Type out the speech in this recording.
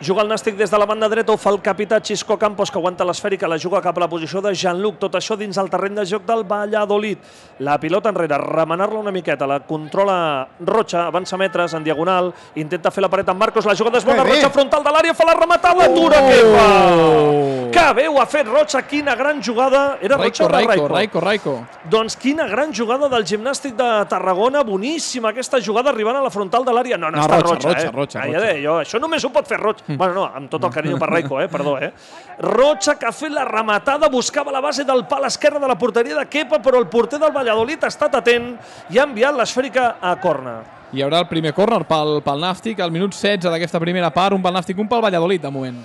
Juga el Nàstic des de la banda dreta, ho fa el capità Xisco Campos, que aguanta l'esfèrica, la juga cap a la posició de Jean-Luc. Tot això dins el terreny de joc del Valladolid. La pilota enrere, remenar-la una miqueta, la controla Rocha, avança metres en diagonal, intenta fer la paret amb Marcos, la jugada és bona, Rocha frontal de l'àrea, fa la rematada, dura que fa! Que bé ho ha fet Rocha, quina gran jugada. Era Rocha o Raico. Doncs quina gran jugada del Gimnàstic de Tarragona, boníssima aquesta jugada arribant a la frontal de l'àrea. No, està Rocha. Ja deia jo, això només ho pot fer Rocha. Bueno, no, amb tot el carinyo per Raico, perdó. Rocha, que ha fet la rematada, buscava la base del pal esquerre de la porteria de Kepa, però el porter del Valladolid ha estat atent i ha enviat l'esfèrica a córner. Hi haurà el primer córner pel Nàstic, al minut 16 d'aquesta primera part, un pel Nàstic, un pel Valladolid de moment.